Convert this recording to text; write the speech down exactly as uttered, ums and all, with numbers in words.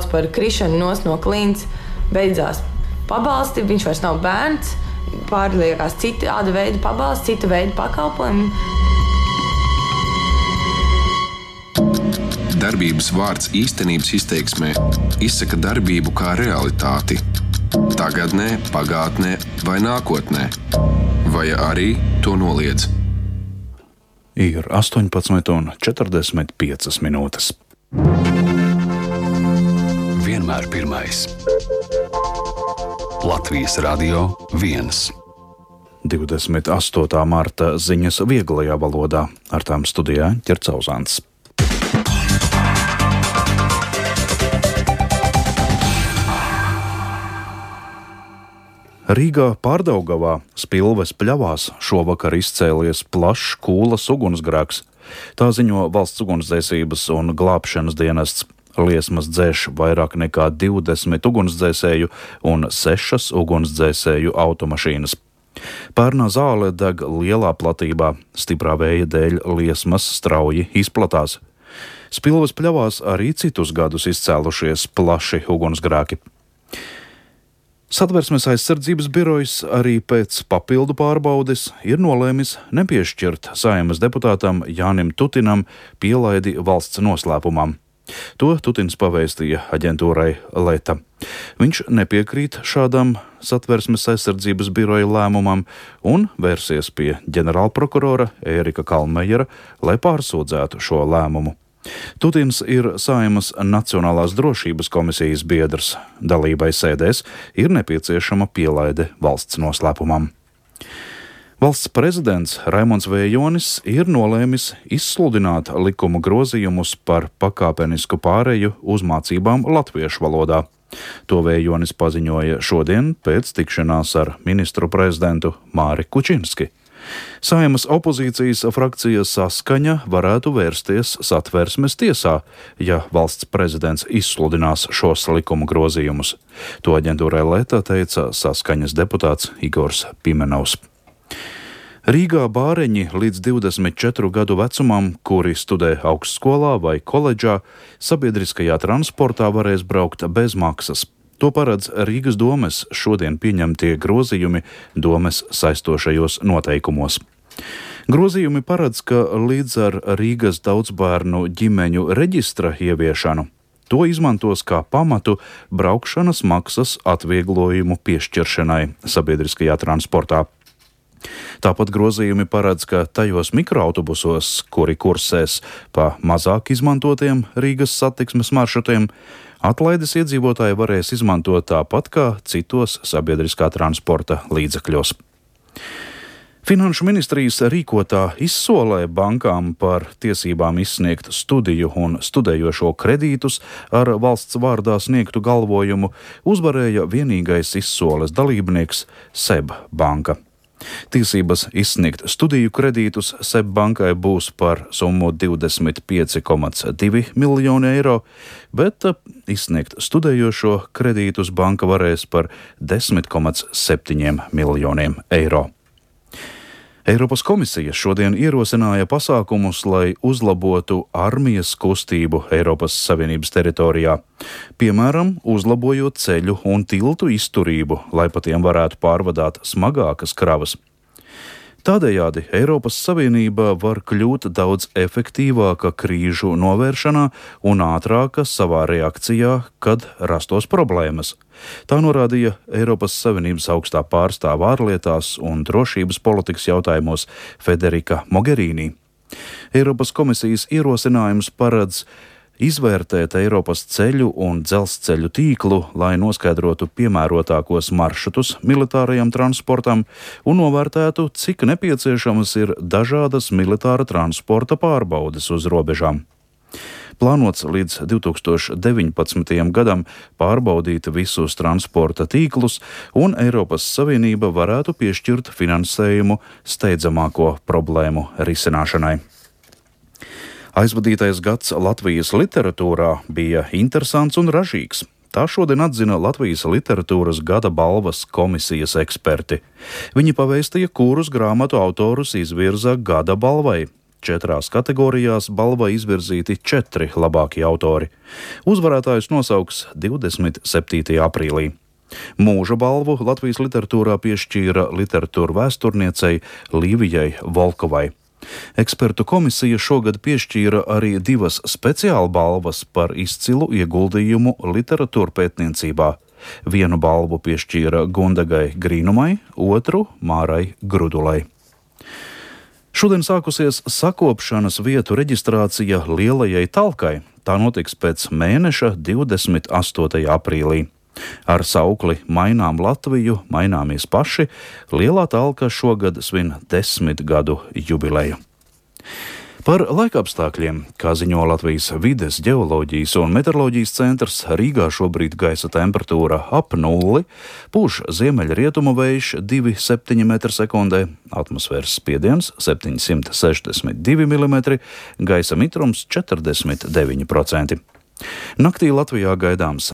sauc par krišanu nos no klints, beidzās pabalsti, viņš vairs nav bērns, pārliekās citāda veida pabalsti, cita veida pakalpojumi. Darbības vārds īstenības izteiksmē izsaka darbību kā realitāti. Tagadnē, pagātnē vai nākotnē. Vai arī to noliedz. Ir astoņpadsmit un četrdesmit piecas minūtes. Vienmēr pirmais. Latvijas Radio viens. divdesmit astotā marta ziņas vieglajā valodā. Ar tām studijā Ķercauzāns. Rīgā Pārdaugavā Spilves pļavās šovakar izcēlies plašs Kūlas ugunsgrēks. Tā ziņo Valsts ugunsdzēsības un glābšanas dienests. Liesmas dzēš vairāk nekā divdesmit ugunsdzēsēju un sešas ugunsdzēsēju automašīnas. Pērnā zāle deg lielā platībā, stiprā vēja dēļ liesmas strauji izplatās. Spilves pļavās arī citus gadus izcēlušies plaši ugunsgrēki. Satversmes aizsardzības birojs arī pēc papildu pārbaudes ir nolēmis nepiešķirt Saeimas deputātam Jānim Tutinam pielaidi valsts noslēpumam. To Tutins pavēstīja aģentūrai Leta. Viņš nepiekrīt šādam Satversmes aizsardzības biroja lēmumam un vērsies pie ģenerālprokurora Ērika Kalmejera, lai pārsūdzētu šo lēmumu. Tutins ir Saeimas Nacionālās drošības komisijas biedrs. Dalībai sēdēs ir nepieciešama pielaide valsts noslēpumam. Valsts prezidents Raimonds Vējonis ir nolēmis izsludināt likuma grozījumus par pakāpenisku pāreju uz mācībām latviešu valodā. To Vējonis paziņoja šodien pēc tikšanās ar ministru prezidentu Māri Kučinski. Saeimas opozīcijas frakcija Saskaņa varētu vērsties Satversmes tiesā, ja valsts prezidents izsludinās šos likuma grozījumus. To aģentūrai Leta teica Saskaņas deputāts Igors Pimenovs. Rīgā bāreņi līdz divdesmit četru gadu vecumam, kuri studē augstskolā vai koledžā, sabiedriskajā transportā varēs braukt bez maksas. To paredz Rīgas domes šodien pieņemtie grozījumi domes saistošajos noteikumos. Grozījumi paredz, ka līdz ar Rīgas daudzbērnu ģimeņu reģistra ieviešanu to izmantos kā pamatu braukšanas maksas atvieglojumu piešķiršanai sabiedriskajā transportā. Tāpat grozījumi paredz, ka tajos mikroautobusos, kuri kursēs pa mazāk izmantotiem Rīgas satiksmes maršrutiem, atlaides iedzīvotāji varēs izmantot tāpat kā citos sabiedriskā transporta līdzekļos. Finanšu ministrijas rīkotā izsolē bankām par tiesībām izsniegt studiju un studējošo kredītus ar valsts vārdā sniegtu galvojumu uzvarēja vienīgais izsoles dalībnieks SEB banka. Tiesības izsniegt studiju kredītus SEB bankai būs par summu divdesmit pieci komats divi miljoni eiro, bet izsniegt studējošo kredītus banka varēs par desmit komats septiņi miljoniem eiro. Eiropas komisija šodien ierosināja pasākumus, lai uzlabotu armijas kustību Eiropas Savienības teritorijā. Piemēram, uzlabojot ceļu un tiltu izturību, lai pa tiem varētu pārvadāt smagākas kravas. Tādējādi Eiropas Savienība var kļūt daudz efektīvāka krīžu novēršanā un ātrāka savā reakcijā, kad rastos problēmas. Tā norādīja Eiropas Savienības augstā pārstāve ārlietās un drošības politikas jautājumos Federika Mogherini. Eiropas komisijas ierosinājums paredz izvērtēt Eiropas ceļu un dzelzceļu tīklu, lai noskaidrotu piemērotākos maršrutus militārajam transportam un novērtētu, cik nepieciešamas ir dažādas militāra transporta pārbaudes uz robežām. Plānots līdz divi tūkstoši deviņpadsmitajam gadam pārbaudīt visus transporta tīklus, un Eiropas Savienība varētu piešķirt finansējumu steidzamāko problēmu risināšanai. Aizvadītais gads Latvijas literatūrā bija interesants un ražīgs. Tā šodien atzina Latvijas literatūras gada balvas komisijas eksperti. Viņi pavēstīja, kurus grāmatu autorus izvirza gada balvai. Četrās kategorijās balvai izvirzīti četri labākie autori. Uzvarētājus nosauks divdesmit septītajā aprīlī. Mūža balvu Latvijas literatūrā piešķīra literatūra vēsturniecei Līvijai Volkovai. Ekspertu komisija šogad piešķīra arī divas speciāla balvas par izcilu ieguldījumu literatūra pētniecībā. Vienu balvu piešķīra Gundagai Grīnumai, otru Mārai Grudulai. Šodien sākusies sakopšanas vietu reģistrācija Lielajai Talkai. Tā notiks pēc mēneša divdesmit astotajā aprīlī. Ar saukli Mainām Latviju, maināmies paši, Lielā Talka šogad svin desmit gadu jubileju. Par laikapstākļiem, kā ziņo Latvijas vides, ģeoloģijas un meteoroloģijas centrs, Rīgā šobrīd gaisa temperatūra ap nulli, pūš ziemeļrietumu vējš divi komats septiņi metri sekundē, atmosfēras spiediens septiņsimt sešdesmit divi milimetri, gaisa mitrums četrdesmit deviņi procenti. Naktī Latvijā gaidāms